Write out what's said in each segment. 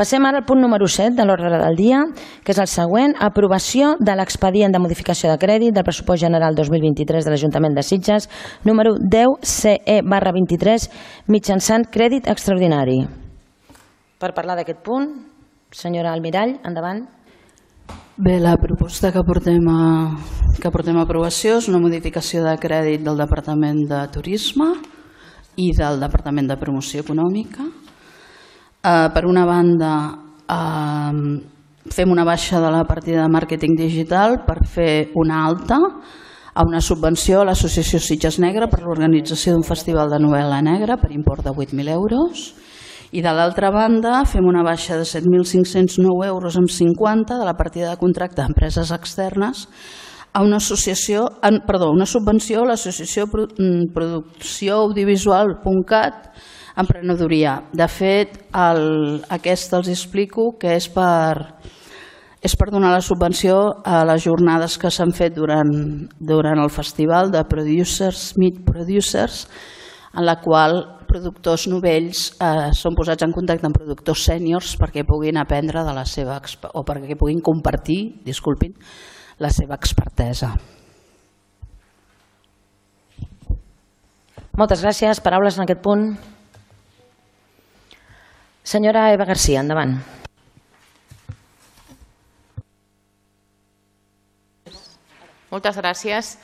Passem ara al punt número 7 de l'ordre del dia, que és el següent: aprovació de l'expedient de modificació de crèdit del pressupost general 2023 de l'Ajuntament de Sitges, número 10CE/23, mitjançant crèdit extraordinari. Per parlar d'aquest punt, senyora Almirall, endavant. Bé, la proposta que portem a aprovació és una modificació de crèdit del Departament de Turisme i del Departament de Promoció Econòmica. Per una banda, fem una baixa de la partida de màrqueting digital per fer una alta a una subvenció a l'Associació Sitges Negra per l'organització d'un festival de novel·la negra per import de 8.000 euros. I de l'altra banda, fem una baixa de 7.509,50 euros de la partida de contracte d'empreses externes a una subvenció a l'associació Producció Audiovisual.cat Emprenedoria. De fet, aquesta els explico que és per donar la subvenció a les jornades que s'han fet durant el festival de Producers Meet Producers, en la qual productors novells són posats en contacte amb productors sèniors perquè puguin aprendre de la seva o perquè puguin compartir, disculpin, la seva expertesa. Moltes gràcies. Paraules en aquest punt. Senyora Eva García, endavant. Moltes gràcies.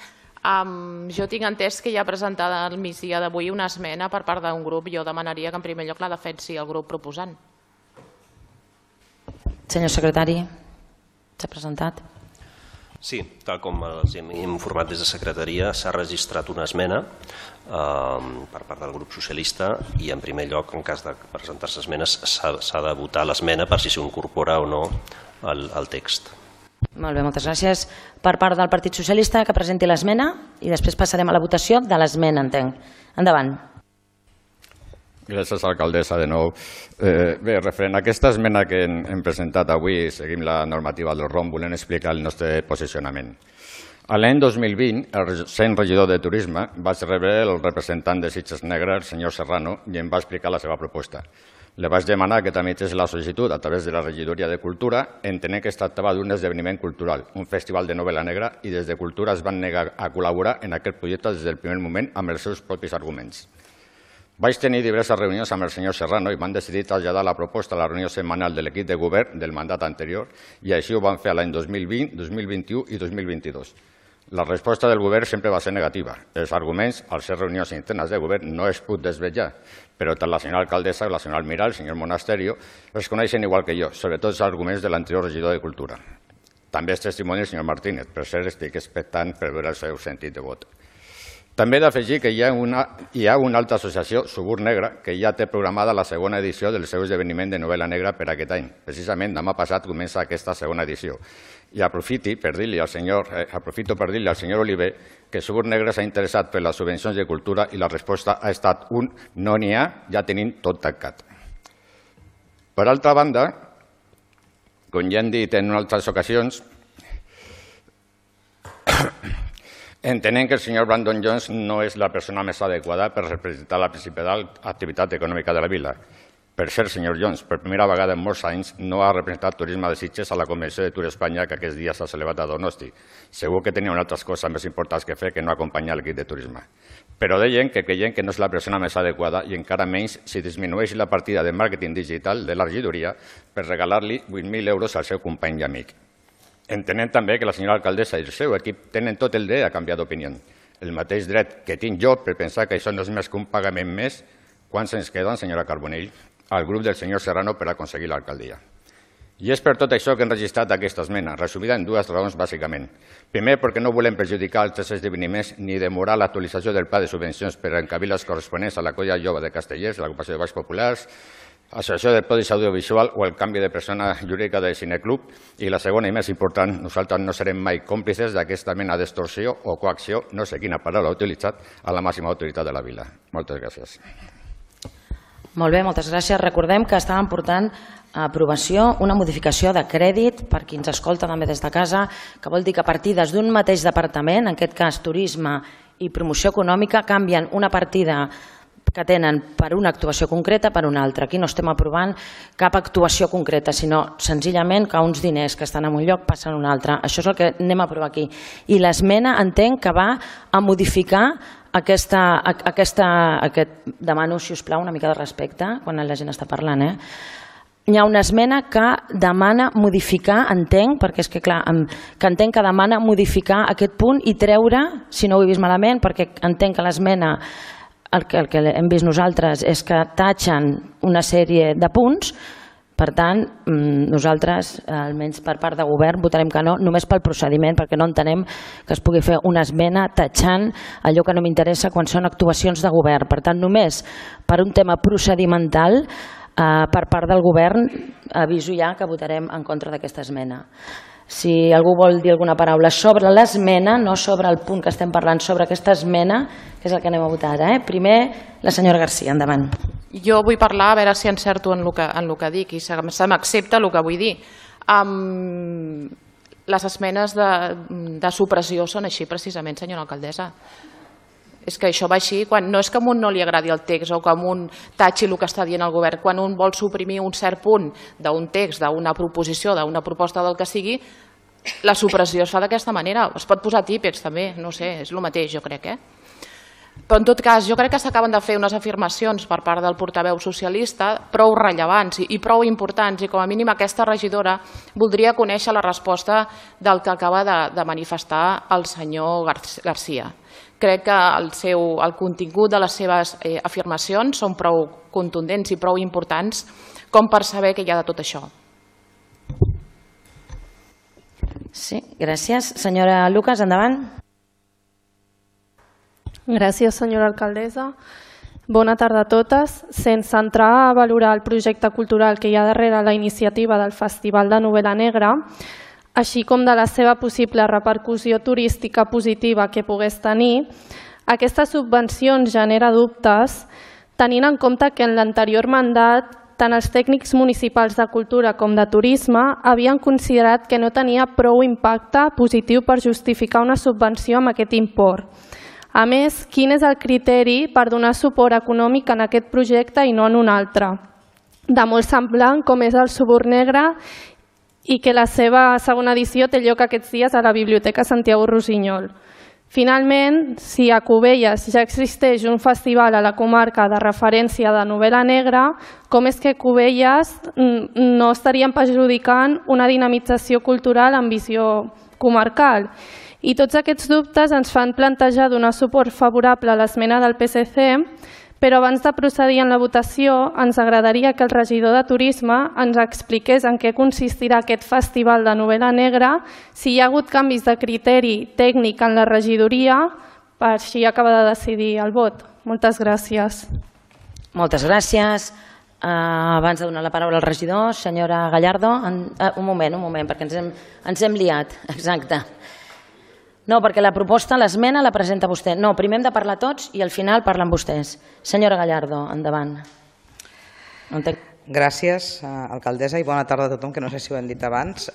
Jo tinc entès que ja presentada al migdia d'avui una esmena per part d'un grup. Jo demanaria que en primer lloc la defensi el grup proposant. Senyor secretari, s'ha presentat. Sí, tal com els hem informat des de secretaria, s'ha registrat una esmena per part del grup socialista i en primer lloc, en cas de presentar-se esmenes, s'ha de votar l'esmena per si s'incorpora o no al text. Molt bé, moltes gràcies. Per part del Partit Socialista, que presenti l'esmena i després passarem a la votació de l'esmena, entenc. Endavant. Gràcies, alcaldessa, de nou. Bé, referent a aquesta esmena que hem presentat avui, seguim la normativa del ROM, volem explicar el nostre posicionament. L'any 2020, el sent regidor de Turisme va rebre el representant de Sitges Negra, el senyor Serrano, i em va explicar la seva proposta. Le vaig demanar que tramités la sol·licitud a través de la regidoria de Cultura, entenent que es tractava d'un esdeveniment cultural, un festival de novel·la negra, i des de Cultura es van negar a col·laborar en aquest projecte des del primer moment amb els seus propis arguments. Vaig tenir diverses reunions amb el senyor Serrano i van decidir traslladar la proposta a la reunió setmanal de l'equip de govern del mandat anterior i així ho van fer l'any 2020, 2021 i 2022. La resposta del govern sempre va ser negativa. Els arguments, al ser reunions internes de govern, no es pot desvetllar, però tant la senyora alcaldessa, la senyora Almirall, el senyor Monasterio, els coneixen igual que jo, sobretot els arguments de l'anterior regidor de Cultura. També és testimoni el senyor Martínez, per cert estic expectant per veure el seu sentit de vot. També he d'afegir que hi ha una altra associació, Subur Negra, que ja té programada la segona edició del seu esdeveniment de novel·la negra per aquest any. Precisament demà passat comença aquesta segona edició. I aprofito per dir-li al senyor Oliver que Subur Negra s'ha interessat per les subvencions de cultura i la resposta ha estat un no n'hi ha, ja tenim tot tancat. Per altra banda, com ja hem dit en altres ocasions, entenem que el senyor Brandon Jones no és la persona més adequada per representar la principal activitat econòmica de la vila. Per cert, senyor Jones, per primera vegada en molts anys no ha representat Turisme de Sitges a la Convenció de Tour Espanya que aquests dies s'ha celebrat a Donosti. Segur que tenien altres coses més importants que fer que no acompanyar l'equip de turisme. Però deien que creiem que no és la persona més adequada i encara menys si disminueix la partida de màrqueting digital de la regidoria per regalar-li 8.000 euros al seu company i amic. Entenem també que la senyora alcaldessa i el seu equip tenen tot el dret a canviar d'opinió. El mateix dret que tinc jo per pensar que això no és més que un pagament més. Quants ens queden, senyora Carbonell, al grup del senyor Serrano per aconseguir l'alcaldia? I és per tot això que hem registrat aquesta esmena, resumida en dues raons bàsicament. Primer, perquè no volem perjudicar altres esdeveniments ni demorar l'actualització del pla de subvencions per encabir les corresponents a la Colla Jove de Castellers, l'agrupació de Balls Populars, Associació de Podis Audiovisual o el canvi de persona jurídica del Cineclub. I la segona i més important, nosaltres no serem mai còmplices d'aquesta mena d'extorsió o coacció, no sé quina paraula ha utilitzat, a la màxima autoritat de la vila. Moltes gràcies. Molt bé, moltes gràcies. Recordem que estàvem portant a aprovació una modificació de crèdit, per qui ens escolta també des de casa, que vol dir que partides d'un mateix departament, en aquest cas Turisme i Promoció Econòmica, canvien una partida que tenen per una actuació concreta per una altra. Aquí no estem aprovant cap actuació concreta, sinó senzillament que uns diners que estan en un lloc passen a un altre. Això és el que anem a aprovar aquí. I l'esmena entenc que va a modificar demano, si us plau, una mica de respecte quan la gent està parlant. Hi ha una esmena que demana modificar, entenc, perquè és que clar, que entenc que demana modificar aquest punt i treure, si no ho he vist malament, perquè entenc que l'esmena, el que hem vist nosaltres és que tatxen una sèrie de punts. Per tant, nosaltres, almenys per part de govern, votarem que no, només pel procediment, perquè no entenem que es pugui fer una esmena tatxant allò que no m'interessa quan són actuacions de govern. Per tant, només per un tema procedimental, per part del govern, aviso ja que votarem en contra d'aquesta esmena. Si algú vol dir alguna paraula sobre l'esmena, no sobre el punt que estem parlant, sobre aquesta esmena, que és el que anem a votar ara. Primer, la senyora Garcia, endavant. Jo vull parlar, a veure si encerto en el que dic i se m'accepta el que vull dir. Les esmenes de supressió són així precisament, senyora alcaldessa. És que això va així, no és que a un no li agradi el text o que a un tatxi el que està dient el govern. Quan un vol suprimir un cert punt d'un text, d'una proposició, d'una proposta del que sigui, la supressió es fa d'aquesta manera. Es pot posar típics també, no sé, és el mateix jo crec. Però en tot cas, jo crec que s'acaben de fer unes afirmacions per part del portaveu socialista prou rellevants i prou importants, i com a mínim aquesta regidora voldria conèixer la resposta del que acaba de manifestar el senyor Garcia. Crec que el contingut de les seves afirmacions són prou contundents i prou importants com per saber què hi ha de tot això. Sí, gràcies. Senyora Lucas, endavant. Gràcies, senyora alcaldessa. Bona tarda a totes. Sense entrar a valorar el projecte cultural que hi ha darrere la iniciativa del Festival de Novel·la Negra, així com de la seva possible repercussió turística positiva que pogués tenir, aquestes subvencions genera dubtes, tenint en compte que en l'anterior mandat tant els tècnics municipals de cultura com de turisme havien considerat que no tenia prou impacte positiu per justificar una subvenció amb aquest import. A més, quin és el criteri per donar suport econòmic en aquest projecte i no en un altre? De molt semblant com és el Suburn Negre i que la seva segona edició té lloc aquests dies a la Biblioteca Santiago Rossinyol. Finalment, si a Cubelles ja existeix un festival a la comarca de referència de novel·la negra, com és que Cubelles no estarien perjudicant una dinamització cultural amb visió comarcal? I tots aquests dubtes ens fan plantejar donar suport favorable a l'esmena del PSC, però abans de procedir en la votació ens agradaria que el regidor de Turisme ens expliqués en què consistirà aquest festival de novel·la negra, si hi ha hagut canvis de criteri tècnic en la regidoria, per així acabar de decidir el vot. Moltes gràcies. Moltes gràcies. Abans de donar la paraula al regidor, senyora Gallardo, un moment, perquè ens hem liat. Exacte. No, perquè la proposta, l'esmena la presenta vostè. No, primer hem de parlar tots i al final parlen vostès. Senyora Gallardo, endavant. Gràcies, alcaldessa, i bona tarda a tothom, que no sé si ho hem dit abans.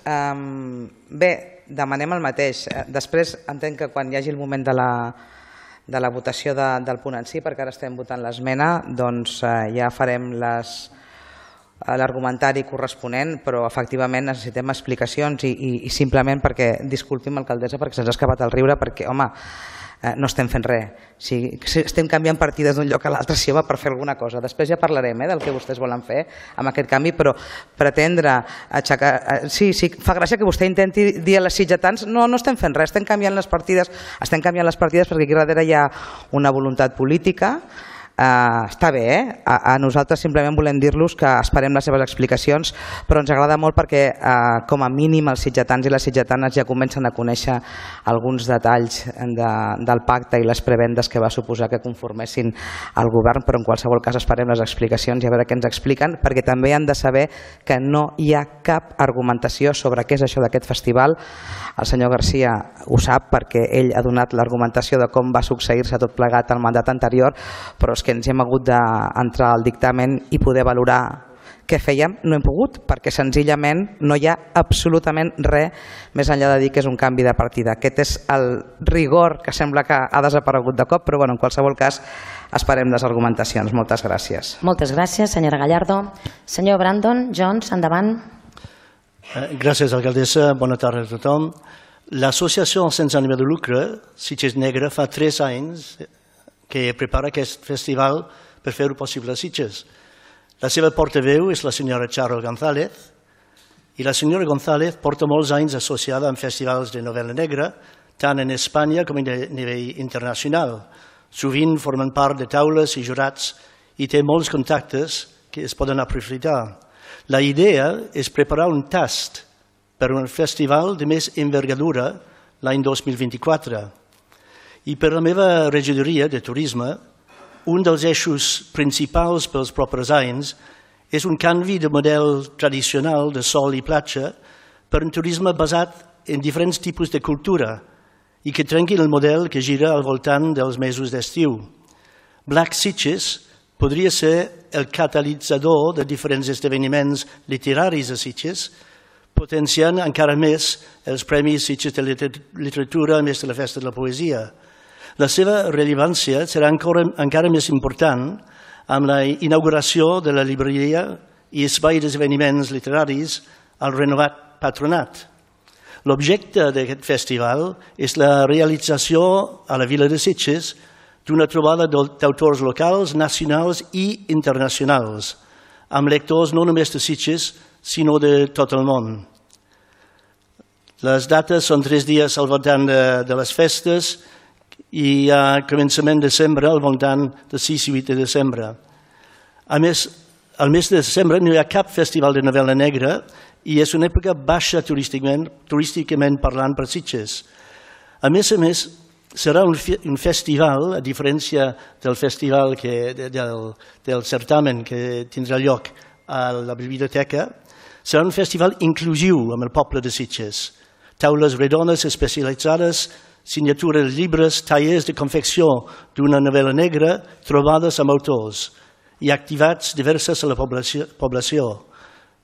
Bé, demanem el mateix. Després entenc que quan hi hagi el moment de la votació del punt en si, perquè ara estem votant l'esmena, doncs ja farem l'argumentari corresponent, però efectivament necessitem explicacions i simplement perquè, disculpi'm alcaldessa, perquè se'ns ha escapat el riure, perquè, home, no estem fent res. Estem canviant partides d'un lloc a l'altre, si va per fer alguna cosa. Després ja parlarem del que vostès volen fer amb aquest canvi, però pretendre aixecar... Sí, fa gràcia que vostè intenti dir a les sitgetans no estem fent res, estem canviant les partides perquè aquí darrere hi ha una voluntat política. Està bé, a nosaltres simplement volem dir-los que esperem les seves explicacions, però ens agrada molt perquè com a mínim els sitgetans i les sitgetanes ja comencen a conèixer alguns detalls del pacte i les prebendes que va suposar que conformessin el govern, però en qualsevol cas esperem les explicacions i a veure què ens expliquen, perquè també han de saber que no hi ha cap argumentació sobre què és això d'aquest festival. El senyor Garcia ho sap perquè ell ha donat l'argumentació de com va succeir-se tot plegat al mandat anterior, però és que ens hem hagut d'entrar al dictamen i poder valorar què fèiem, no hem pogut, perquè senzillament no hi ha absolutament res més enllà de dir que és un canvi de partida. Aquest és el rigor que sembla que ha desaparegut de cop, però bueno, en qualsevol cas esperem les argumentacions. Moltes gràcies. Moltes gràcies, senyora Gallardo. Senyor Brandon Jones, endavant. Gràcies, alcaldessa. Bona tarda a tothom. L'associació sense ànim de lucre, Sitges Negre, fa 3 anys que prepara aquest festival per fer-ho possible a Sitges. La seva portaveu és la senyora Charo González i la senyora González porta molts anys associada amb festivals de novel·la negra, tant en Espanya com a nivell internacional. Sovint formen part de taules i jurats i té molts contactes que es poden aprofitar. La idea és preparar un tast per un festival de més envergadura l'any 2024. I per la meva regidoria de turisme, un dels eixos principals pels propers anys és un canvi de model tradicional de sol i platja per un turisme basat en diferents tipus de cultura i que trenqui el model que gira al voltant dels mesos d'estiu. Black Sitges podria ser el catalitzador de diferents esdeveniments literaris a Sitges, potenciant encara més els Premis Sitges de Literatura a més de la Festa de la Poesia. La seva rellevància serà encara més important amb la inauguració de la llibreria i espai d'esdeveniments literaris al renovat patronat. L'objecte d'aquest festival és la realització a la vila de Sitges d'una trobada d'autors locals, nacionals i internacionals, amb lectors no només de Sitges, sinó de tot el món. Les dates són 3 dies al voltant de les festes i a començament de desembre, al voltant de 6 i 8 de desembre. A més, al mes de desembre no hi ha cap festival de novel·la negra i és una època baixa turísticament parlant per Sitges. A més, serà un festival, a diferència del festival del certamen que tindrà lloc a la biblioteca, serà un festival inclusiu amb el poble de Sitges. Taules redones especialitzades, signatura de llibres, tallers de confecció d'una novel·la negra, trobades amb autors i activitats diverses a la població,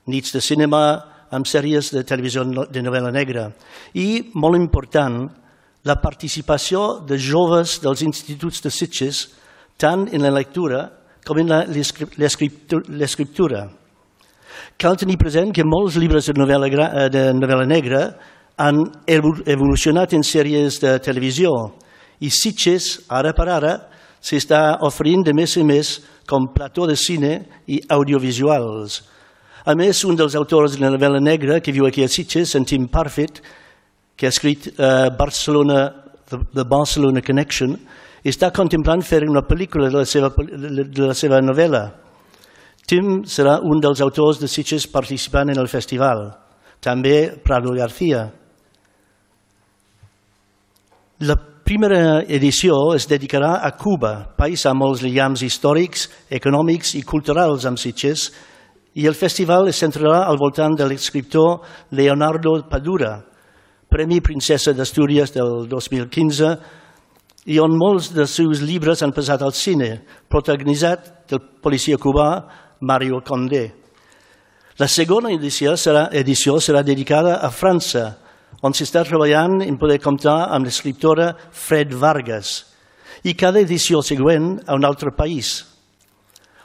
nits de cinema amb sèries de televisió de novel·la negra i, molt important, la participació de joves dels instituts de Sitges tant en la lectura com en l'escriptura. Cal tenir present que molts llibres de novel·la negra han evolucionat en sèries de televisió i Sitges, ara per ara, s'està oferint de més en més com plató de cine i audiovisuals. A més, un dels autors de la novel·la negra que viu aquí a Sitges, en Tim Parfitt, que ha escrit The Barcelona Connection, està contemplant fer una pel·lícula de la seva novel·la. Tim serà un dels autors de Sitges participant en el festival. També Prado García. La primera edició es dedicarà a Cuba, país amb molts lligams històrics, econòmics i culturals amb Sitges, i el festival es centrarà al voltant de l'escriptor Leonardo Padura, Premi Princesa d'Astúries del 2015, i on molts dels seus llibres han passat al cine, protagonitzat del policia cubà Mario Condé. La segona edició serà dedicada a França, on s'està treballant en poder comptar amb l'escriptora Fred Vargas, i cada edició següent a un altre país.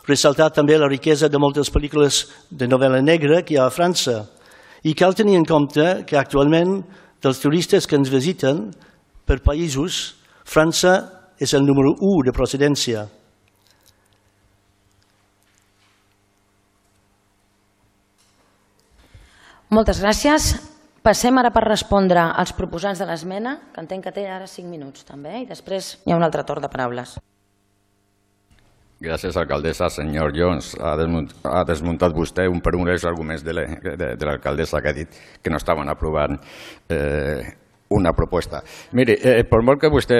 Ressaltar també la riquesa de moltes pel·lícules de novel·la negra que hi ha a França, i cal tenir en compte que actualment dels turistes que ens visiten per països, França és el número 1 de procedència. Moltes gràcies. Passem ara per respondre als proposants de l'esmena, que entenc que té ara 5 minuts també, i després hi ha un altre torn de paraules. Gràcies, alcaldessa. Senyor Jones, ha desmuntat vostè un per un els arguments de l'alcaldessa que ha dit que no estaven aprovant una proposta. Miri, per molt que vostè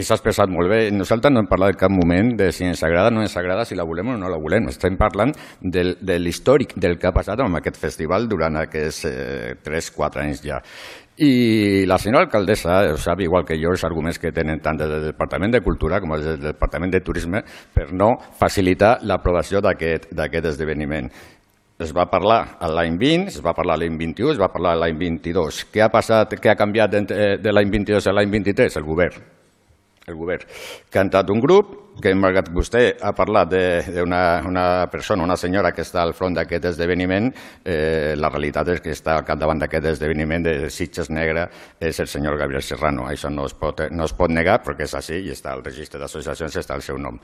s'ha expressat molt bé, nosaltres no hem parlat en cap moment de si ens agrada o no ens agrada, si la volem o no la volem. Estem parlant de l'històric del que ha passat amb aquest festival durant aquests 3-4 anys ja. I la senyora alcaldessa sap, igual que jo, els arguments que tenen tant des del Departament de Cultura com des del Departament de Turisme per no facilitar l'aprovació d'aquest esdeveniment. Es va parlar l'any 20, es va parlar l'any 21, es va parlar l'any 22. Què ha passat, què ha canviat de l'any 22 a l'any 23? El govern. El govern. Que ha entrat un grup que, malgrat que vostè ha parlat d'una persona, una senyora que està al front d'aquest esdeveniment, la realitat és que està al capdavant d'aquest esdeveniment de Sitges Negra és el senyor Gabriel Serrano. Això no es pot negar perquè és així i està al registre d'associacions, està el seu nom.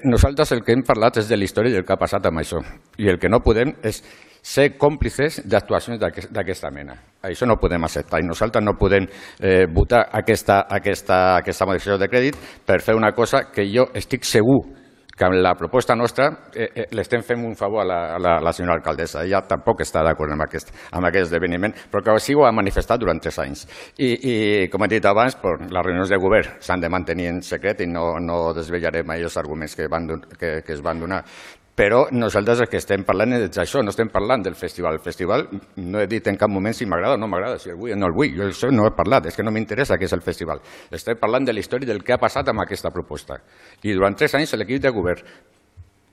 Nosaltres el que hem parlat és de la història i del que ha passat amb això. I el que no podem és ser còmplices d'actuacions d'aquesta mena. Això no ho podem acceptar i nosaltres no podem votar aquesta modificació de crèdit per fer una cosa que jo estic segur que amb la proposta nostra l'estem fent un favor a la senyora alcaldessa. Ella tampoc està d'acord amb aquest esdeveniment, però que així ho ha manifestat durant 3 anys. I com he dit abans, les reunions de govern s'han de mantenir en secret i no desvetllaré mai els arguments que es van donar. Però nosaltres el que estem parlant és d'això, no estem parlant del festival. El festival no he dit en cap moment si m'agrada o no m'agrada, si el vull o no el vull. Jo això no he parlat, és que no m'interessa què és el festival. Estem parlant de la història del que ha passat amb aquesta proposta. I durant 3 anys l'equip de govern,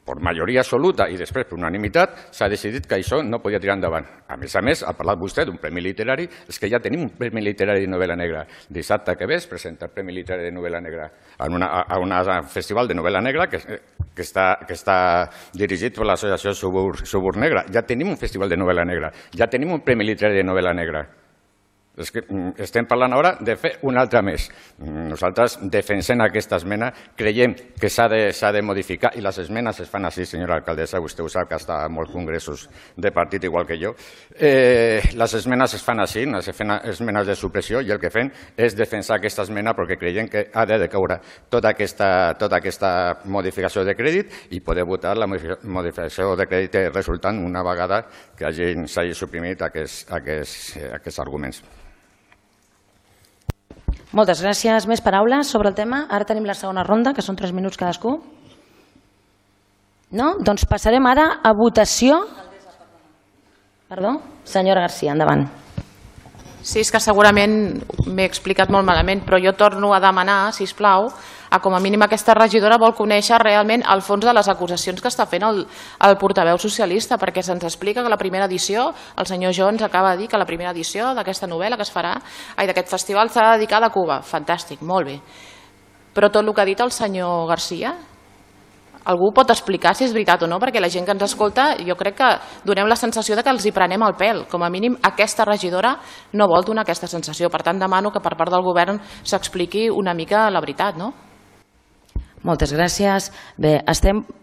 per majoria absoluta i després per unanimitat, s'ha decidit que això no podia tirar endavant. A més, ha parlat vostè d'un premi literari, és que ja tenim un premi literari de novel·la negra. Dissabte que ve es presenta el premi literari de novel·la negra a un festival de novel·la negra que està dirigit per l'associació Subur Negra. Ja tenim un festival de novel·la negra, ja tenim un premi literari de novel·la negra. És que estem parlant ara de fer un altre més. Nosaltres defensem aquesta esmena, creiem que s'ha de modificar i les esmenes es fan així, senyora alcaldessa, vostè ho sap que està a molts congressos de partit igual que jo. Les esmenes es fan així, es fan esmenes de supressió i el que fem és defensar aquesta esmena perquè creiem que ha de decaure tota aquesta modificació de crèdit i poder votar la modificació de crèdit resultant una vegada que s'hagi suprimit aquests arguments. Moltes gràcies. Més paraules sobre el tema? Ara tenim la segona ronda, que són 3 minuts cadascú. No? Doncs passarem ara a votació. Perdó? Senyora García, endavant. Sí, és que segurament m'he explicat molt malament, però jo torno a demanar, sisplau, a com a mínim aquesta regidora vol conèixer realment el fons de les acusacions que està fent el portaveu socialista, perquè se'ns explica que la primera edició, el senyor Jones acaba de dir que la primera edició d'aquesta novel·la que es farà, d'aquest festival, serà dedicada a Cuba. Fantàstic, molt bé. Però tot el que ha dit el senyor García, algú pot explicar si és veritat o no, perquè la gent que ens escolta, jo crec que donem la sensació de que els hi prenem el pèl. Com a mínim, aquesta regidora no vol donar aquesta sensació. Per tant, demano que per part del govern s'expliqui una mica la veritat, no? Moltes gràcies. Bé,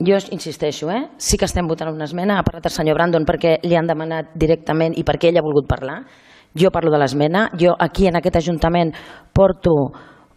jo insisteixo, sí que estem votant una esmena. Ha parlat el senyor Brandon perquè li han demanat directament i perquè ell ha volgut parlar. Jo parlo de l'esmena. Jo aquí en aquest Ajuntament porto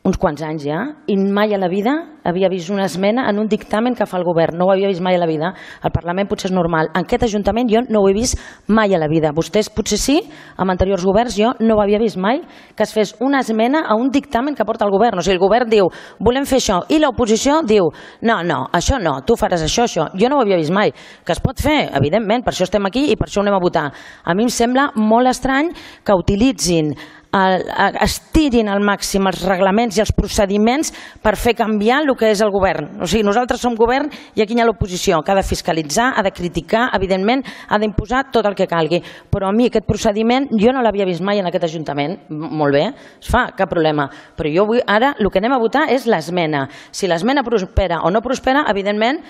uns quants anys ja, i mai a la vida havia vist una esmena en un dictamen que fa el govern. No ho havia vist mai a la vida. Al Parlament potser és normal. En aquest Ajuntament jo no ho he vist mai a la vida. Vostès potser sí, amb anteriors governs jo no ho havia vist mai, que es fes una esmena a un dictamen que porta el govern. O sigui, el govern diu, volem fer això, i l'oposició diu, no, això no, tu faràs això. Jo no ho havia vist mai. Que es pot fer, evidentment, per això estem aquí i per això ho anem a votar. A mi em sembla molt estrany que utilitzin estirin al màxim els reglaments i els procediments per fer canviar el que és el govern. O sigui, nosaltres som govern i aquí hi ha l'oposició, que ha de fiscalitzar, ha de criticar, evidentment, ha d'imposar tot el que calgui. Però a mi aquest procediment jo no l'havia vist mai en aquest Ajuntament. Molt bé, es fa, cap problema. Però jo vull, ara el que anem a votar és l'esmena. Si l'esmena prospera o no prospera, evidentment,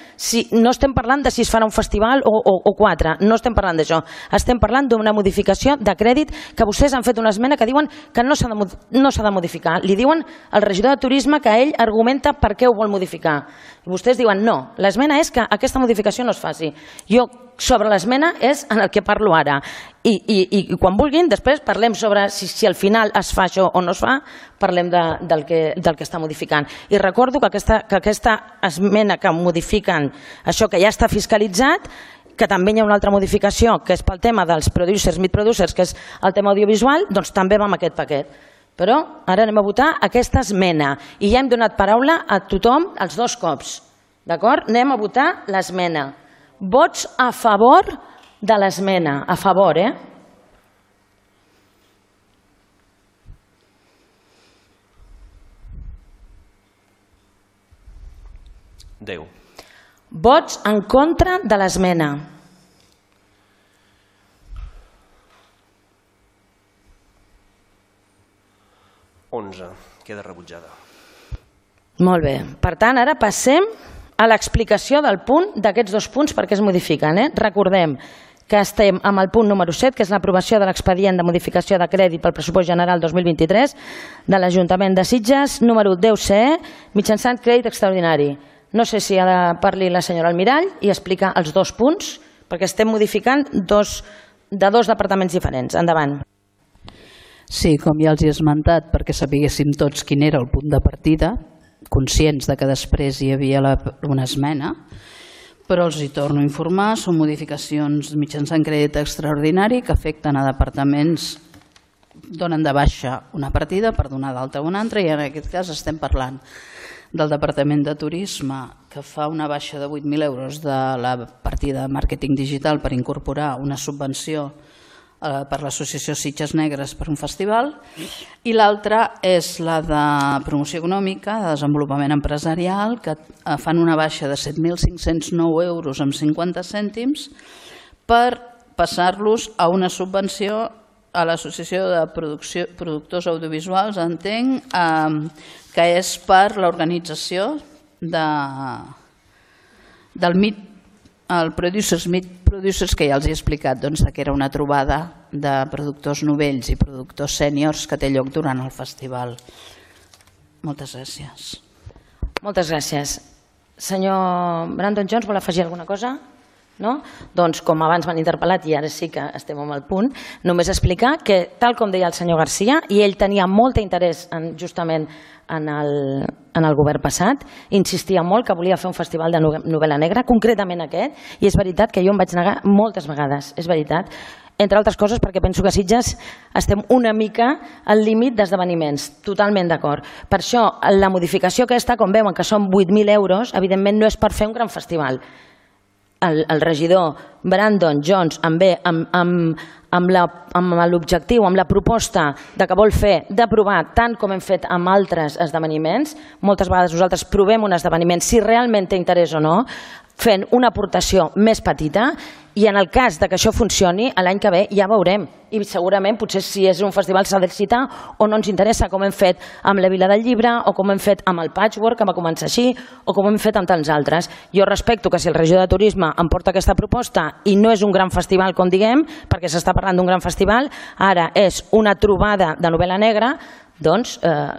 no estem parlant de si es farà un festival o 4, no estem parlant d'això. Estem parlant d'una modificació de crèdit que vostès han fet una esmena que diuen que no s'ha de modificar. Li diuen al regidor de Turisme que ell argumenta per què ho vol modificar. I vostès diuen no, l'esmena és que aquesta modificació no es faci. Jo sobre l'esmena és en el que parlo ara. I quan vulguin, després parlem sobre si al final es fa això o no es fa, parlem del que està modificant. I recordo que aquesta esmena que modifiquen això que ja està fiscalitzat, que també hi ha una altra modificació, que és pel tema dels producers, mid-producers, que és el tema audiovisual, doncs també va amb aquest paquet. Però ara anem a votar aquesta esmena i ja hem donat paraula a tothom els dos cops. D'acord? Anem a votar l'esmena. Vots a favor de l'esmena. A favor, eh? Déu. Vots en contra de l'esmena. Queda rebutjada. Molt bé. Per tant, ara passem a l'explicació del punt d'aquests dos punts perquè es modifiquen. Recordem que estem amb el punt número 7, que és l'aprovació de l'expedient de modificació de crèdit pel pressupost general 2023 de l'Ajuntament de Sitges, número 10CE, mitjançant crèdit extraordinari. No sé si ha de parlar la senyora Almirall i explicar els dos punts, perquè estem modificant de dos departaments diferents. Endavant. Sí, com ja els he esmentat, perquè sapiguéssim tots quin era el punt de partida, conscients de que després hi havia una esmena, però els hi torno a informar, són modificacions mitjançant crèdit extraordinari que afecten a departaments, donen de baixa una partida per donar d'alta una altra, i en aquest cas estem parlant del Departament de Turisme, que fa una baixa de 8.000 euros de la partida de màrqueting digital per incorporar una subvenció per l'Associació Sitges Negres per un festival, i l'altra és la de promoció econòmica, de desenvolupament empresarial, que fan una baixa de 7.509 euros amb 50 cèntims per passar-los a una subvenció a l'Associació de Productors Audiovisuals, entenc, que és per l'organització del MIT, el Producers, que ja els he explicat que era una trobada de productors novells i productors sèniors que té lloc durant el festival. Moltes gràcies. Moltes gràcies. Senyor Brandon Jones, vol afegir alguna cosa? No? Doncs com abans m'han interpel·lat i ara sí que estem en el punt, només explicar que, tal com deia el senyor Garcia, i ell tenia molt interès justament en el govern passat, insistia molt que volia fer un festival de novel·la negra, concretament aquest, i és veritat que jo em vaig negar moltes vegades, és veritat, entre altres coses perquè penso que a Sitges estem una mica al límit d'esdeveniments, totalment d'acord. Per això la modificació aquesta, com veuen que són 8.000 euros, evidentment no és per fer un gran festival. El regidor Brandon Jones amb l'objectiu, amb la proposta que vol fer d'aprovar, tant com hem fet amb altres esdeveniments, moltes vegades nosaltres provem un esdeveniment si realment té interès o no, fent una aportació més petita, i en el cas que això funcioni, l'any que ve ja veurem, i segurament potser si és un festival s'ha d'excitar o no ens interessa, com hem fet amb la Vila del Llibre o com hem fet amb el Patchwork, que va començar així, o com hem fet amb tants altres. Jo respecto que si el regidor de Turisme em porta aquesta proposta i no és un gran festival, com diguem, perquè s'està parlant d'un gran festival, ara és una trobada de novel·la negra, doncs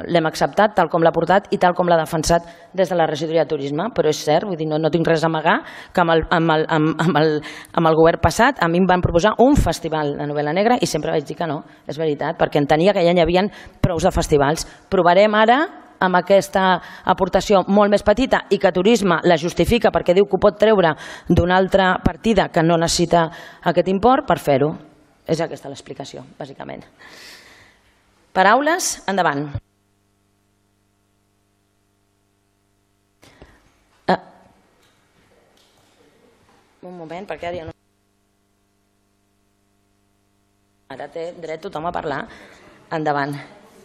l'hem acceptat tal com l'ha portat i tal com l'ha defensat des de la regidoria de Turisme, però és cert, vull dir, no tinc res a amagar que amb el govern passat a mi em van proposar un festival de novel·la negra i sempre vaig dir que no, és veritat, perquè entenia que ja n'hi havia prous de festivals. Provarem ara amb aquesta aportació molt més petita i que Turisme la justifica perquè diu que ho pot treure d'una altra partida que no necessita aquest import per fer-ho. És aquesta l'explicació, bàsicament. Paraules, endavant. Un moment, perquè ara ja no... Ara té dret tothom a parlar. Endavant.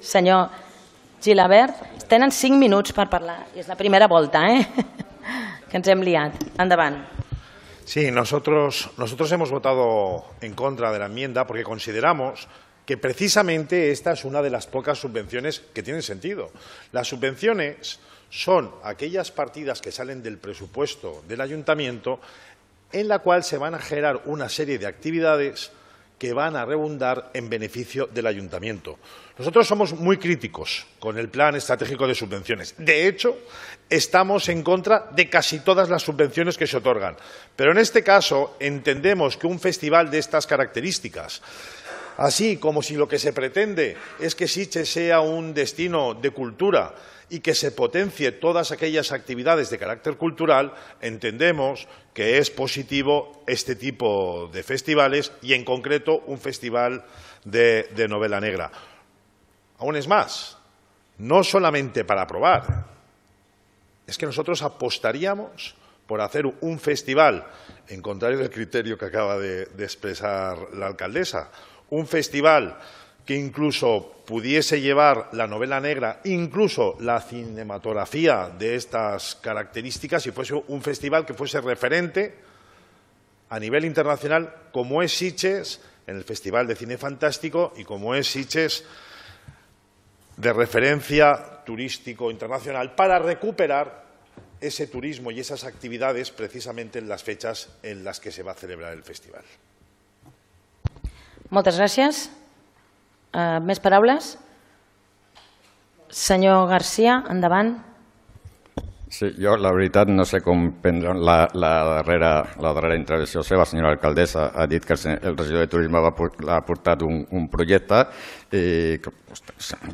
Senyor Gilabert, tenen 5 minuts per parlar. I és la primera volta, que ens hem liat. Endavant. Sí, nosotros hemos votado en contra de la enmienda porque consideramos que precisamente esta es una de las pocas subvenciones que tienen sentido. Las subvenciones son aquellas partidas que salen del presupuesto del ayuntamiento en la cual se van a generar una serie de actividades que van a redundar en beneficio del ayuntamiento. Nosotros somos muy críticos con el plan estratégico de subvenciones. De hecho, estamos en contra de casi todas las subvenciones que se otorgan. Pero en este caso entendemos que un festival de estas características, así como si lo que se pretende es que Sitges sea un destino de cultura y que se potencie todas aquellas actividades de carácter cultural, entendemos que es positivo este tipo de festivales y en concreto un festival de novela negra. Aún es más, no solamente para aprobar, es que nosotros apostaríamos por hacer un festival, en contrario del criterio que acaba de expresar la alcaldesa, un festival que incluso pudiese llevar la novela negra, incluso la cinematografía de estas características, y fuese un festival que fuese referente a nivel internacional, como es Sitges en el Festival de Cine Fantástico y como es Sitges de referencia turístico internacional, para recuperar ese turismo y esas actividades precisamente en las fechas en las que se va a celebrar el festival. Moltes gràcies. Més paraules? Senyor Garcia, endavant. Sí, jo la veritat no sé com prendre la darrera intervenció seva. La senyora alcaldessa ha dit que el regidor de turisme ha portat un projecte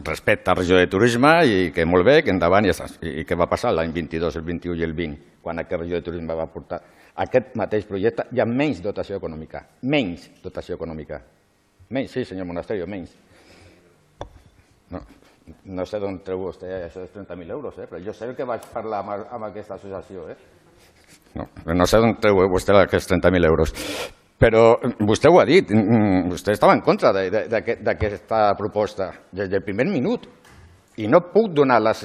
respecte al regidor de turisme i que molt bé, que endavant i ja està. I què va passar l'any 22, el 21 i el 20, quan aquest regidor de turisme va portar aquest mateix projecte i amb menys dotació econòmica. Menys dotació econòmica. Menys, sí, senyor Monasterio, menys. No sé d'on treu vostè això dels 30.000 euros, però jo sé el que vaig parlar amb aquesta associació. No sé d'on treu vostè aquests 30.000 euros. Però vostè ho ha dit, vostè estava en contra d'aquesta proposta des del primer minut i no puc donar les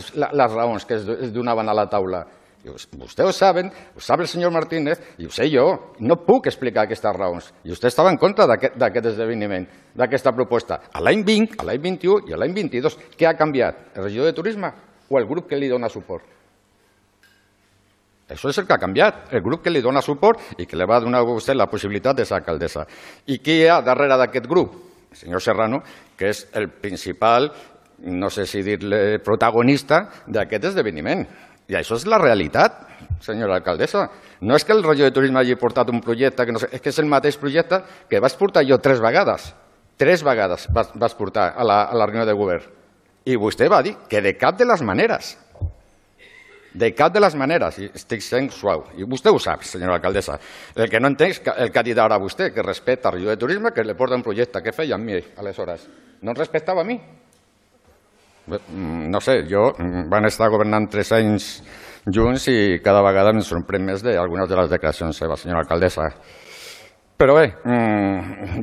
raons que es donaven a la taula. Vostè ho saben, ho sap el senyor Martínez i ho sé jo. No puc explicar aquestes raons. I vostè estava en contra d'aquest esdeveniment, d'aquesta proposta. A l'any 20, a l'any 21 i a l'any 22. Què ha canviat? El regidor de turisme o el grup que li dona suport? Això és el que ha canviat. El grup que li dona suport i que li va donar a vostè la possibilitat de ser alcaldessa. I qui hi ha darrere d'aquest grup? El senyor Serrano, que és el principal, no sé si dir-ne protagonista d'aquest esdeveniment. I això és la realitat, senyora alcaldessa. No és que el regidor de turisme hagi portat un projecte, és que és el mateix projecte que vaig portar jo 3 vegades. 3 vegades vaig portar a la reunió de govern. I vostè va dir que de cap de les maneres. De cap de les maneres. I estic sent suau. I vostè ho sap, senyora alcaldessa. El que no entenc és el que ha dit ara vostè, que respecta el regidor de turisme, que li porta un projecte. Què feia amb mi, aleshores? No em respectava a mi? No sé, van estar governant 3 anys junts i cada vegada em sorprèn més d'algunes de les declaracions seves, senyora alcaldessa. Però bé,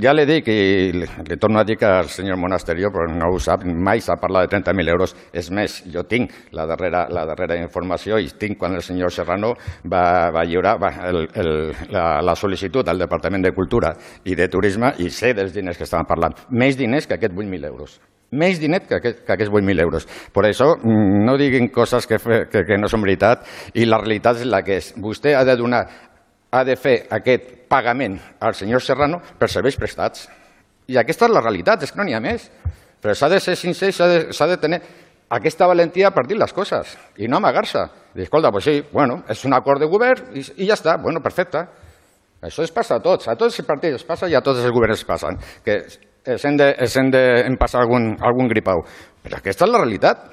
ja li dic i li torno a dir que el senyor Monasterio no ho sap, mai s'ha parlat de 30.000 euros. És més, jo tinc la darrera informació i tinc quan el senyor Serrano va lliurar la sol·licitud al Departament de Cultura i de Turisme i sé dels diners que estaven parlant. Més diners que aquests 8.000 euros. Més diners que aquests 8.000 euros. Per això no diguin coses que no són veritat i la realitat és la que és. Vostè ha de fer aquest pagament al senyor Serrano per serveis prestats. I aquesta és la realitat, és que no n'hi ha més. Però s'ha de ser sincer, s'ha de tenir aquesta valentia per dir les coses i no amagar-se. Dir, escolta, doncs sí, bueno, és un acord de govern i ja està, bueno, perfecte. Això es passa a tots els partits es passa i a tots els governs es passen. Que els hem de passar algun gripau. Però aquesta és la realitat,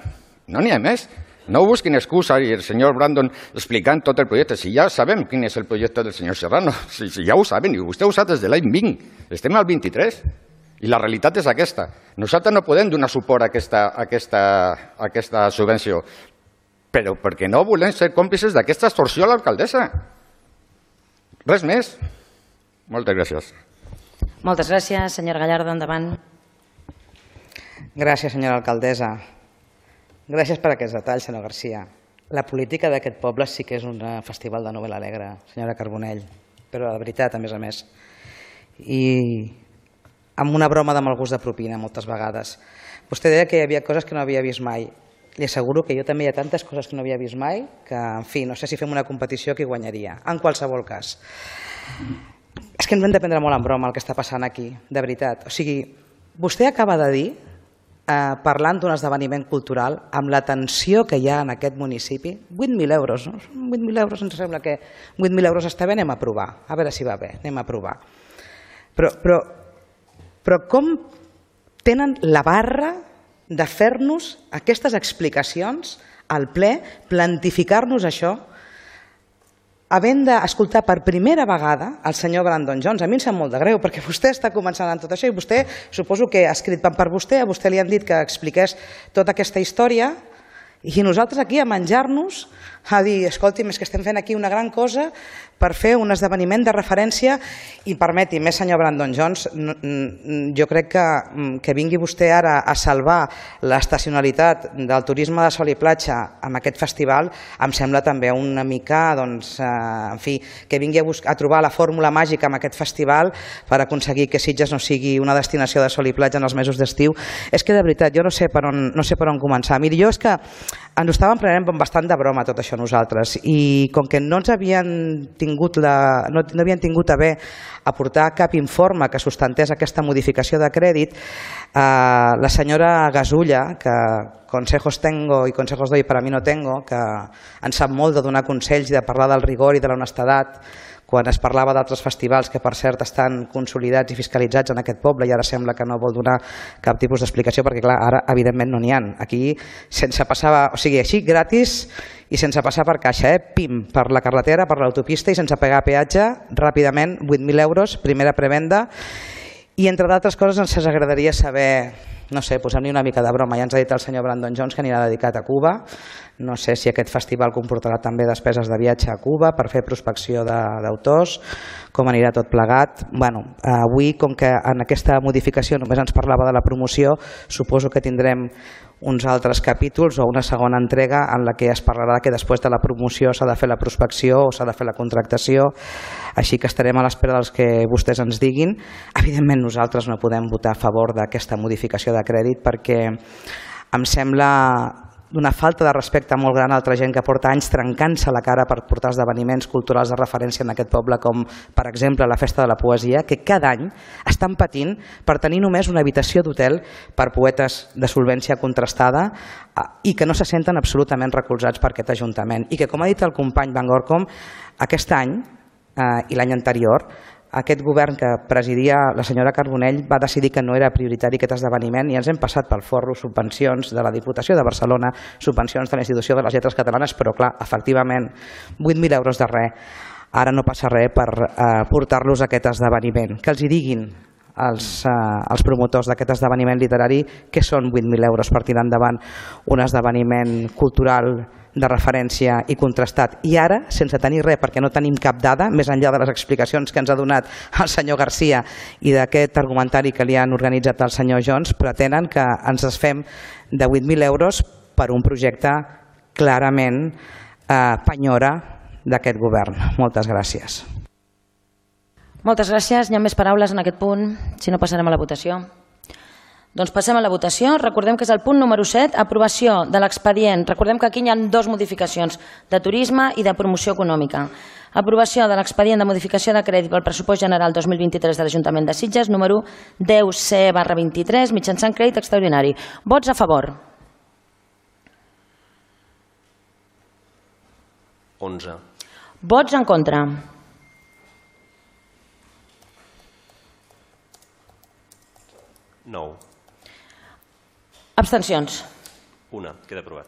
no n'hi ha més. No busquin excusa i el senyor Brandon explicant tot el projecte. Si ja sabem quin és el projecte del senyor Serrano, si ja ho saben, i vostè ho sap des de l'any 20, estem al 23, i la realitat és aquesta. Nosaltres no podem donar suport a aquesta subvenció, però perquè no volem ser còmplices d'aquesta extorsió a l'alcaldessa. Res més. Moltes gràcies. Moltes gràcies, senyora Gallardo, endavant. Gràcies, senyora alcaldessa. Gràcies per aquests detalls, senyor Garcia. La política d'aquest poble sí que és un festival de novel·la alegre, senyora Carbonell, però de veritat, a més. I amb una broma de mal gust de propina, moltes vegades. Vostè deia que hi havia coses que no havia vist mai. Li asseguro que jo també hi ha tantes coses que no havia vist mai que, en fi, no sé si fem una competició qui guanyaria. En qualsevol cas. És que ens hem de prendre molt en broma el que està passant aquí, de veritat. O sigui, vostè acaba de dir, parlant d'un esdeveniment cultural, amb la tensió que hi ha en aquest municipi, 8.000 euros, no? 8.000 euros, ens sembla que 8.000 euros està bé, anem a provar. A veure si va bé, anem a provar. Però com tenen la barra de fer-nos aquestes explicacions al ple, plantificar-nos això, havent d'escoltar per primera vegada el senyor Brandon Jones. A mi em sap molt de greu, perquè vostè està començant amb tot això i vostè, suposo que ha escrit per vostè, a vostè li han dit que expliqués tota aquesta història i nosaltres aquí a menjar-nos, a dir, escolti'm, és que estem fent aquí una gran cosa per fer un esdeveniment de referència i permeti, més senyor Brandon Jones, jo crec que vingui vostè ara a salvar l'estacionalitat del turisme de sol i platja amb aquest festival, em sembla també una mica, doncs, en fi, que vingui a trobar la fórmula màgica amb aquest festival per aconseguir que Sitges no sigui una destinació de sol i platja en els mesos d'estiu. És que de veritat, jo no sé per on començar. Miri, jo és que ens ho estàvem prenent bastant de broma tot això nosaltres i com que no ens havien tingut a bé aportar cap informe que sustentés aquesta modificació de crèdit, la senyora Gasulla, que consejos tengo i consejos doy para mí no tengo, que en sap molt de donar consells i de parlar del rigor i de l'honestedat, quan es parlava d'altres festivals que per cert estan consolidats i fiscalitzats en aquest poble i ara sembla que no vol donar cap tipus d'explicació perquè clar, ara evidentment no n'hi ha. Aquí sense passar, o sigui, així gratis i sense passar per caixa, pim, per la carretera, per l'autopista i sense pagar peatge, ràpidament, 8.000 euros, primera prevenda i entre d'altres coses ens agradaria saber, no sé, posem-li una mica de broma, ja ens ha dit el senyor Brandon Jones que anirà dedicat a Cuba. No sé si aquest festival comportarà també despeses de viatge a Cuba per fer prospecció d'autors, com anirà tot plegat. Bueno, avui, com que en aquesta modificació només ens parlava de la promoció, suposo que tindrem uns altres capítols o una segona entrega en la que es parlarà que després de la promoció s'ha de fer la prospecció o s'ha de fer la contractació, així que estarem a l'espera dels que vostès ens diguin. Evidentment nosaltres no podem votar a favor d'aquesta modificació de crèdit perquè em sembla d'una falta de respecte molt gran a altra gent que porta anys trencant-se la cara per portar esdeveniments culturals de referència en aquest poble, com per exemple la Festa de la Poesia, que cada any estan patint per tenir només una habitació d'hotel per poetes de solvència contrastada i que no se senten absolutament recolzats per aquest Ajuntament. I que, com ha dit el company Van Gorkom, aquest any i l'any anterior aquest govern que presidia la senyora Carbonell va decidir que no era prioritari aquest esdeveniment i ens hem passat pel forro subvencions de la Diputació de Barcelona, subvencions de la Institució de les Lletres Catalanes, però clar, efectivament, 8.000 euros de res. Ara no passa res per portar-los a aquest esdeveniment. Que els hi diguin els promotors d'aquest esdeveniment literari que són 8.000 euros per tirar endavant un esdeveniment cultural de referència i contrastat. I ara, sense tenir res, perquè no tenim cap dada, més enllà de les explicacions que ens ha donat el senyor Garcia i d'aquest argumentari que li han organitzat al senyor Jones, pretenen que ens desfem de 8.000 euros per un projecte clarament penyora d'aquest govern. Moltes gràcies. Moltes gràcies. Hi ha més paraules en aquest punt? Si no, passarem a la votació. Doncs passem a la votació. Recordem que és el punt número 7, aprovació de l'expedient. Recordem que aquí hi ha dues modificacions, de turisme i de promoció econòmica. Aprovació de l'expedient de modificació de crèdit pel pressupost general 2023 de l'Ajuntament de Sitges, número 10C/23, mitjançant crèdit extraordinari. Vots a favor? 11. Vots en contra? 9. Abstencions? 1. Queda aprovat.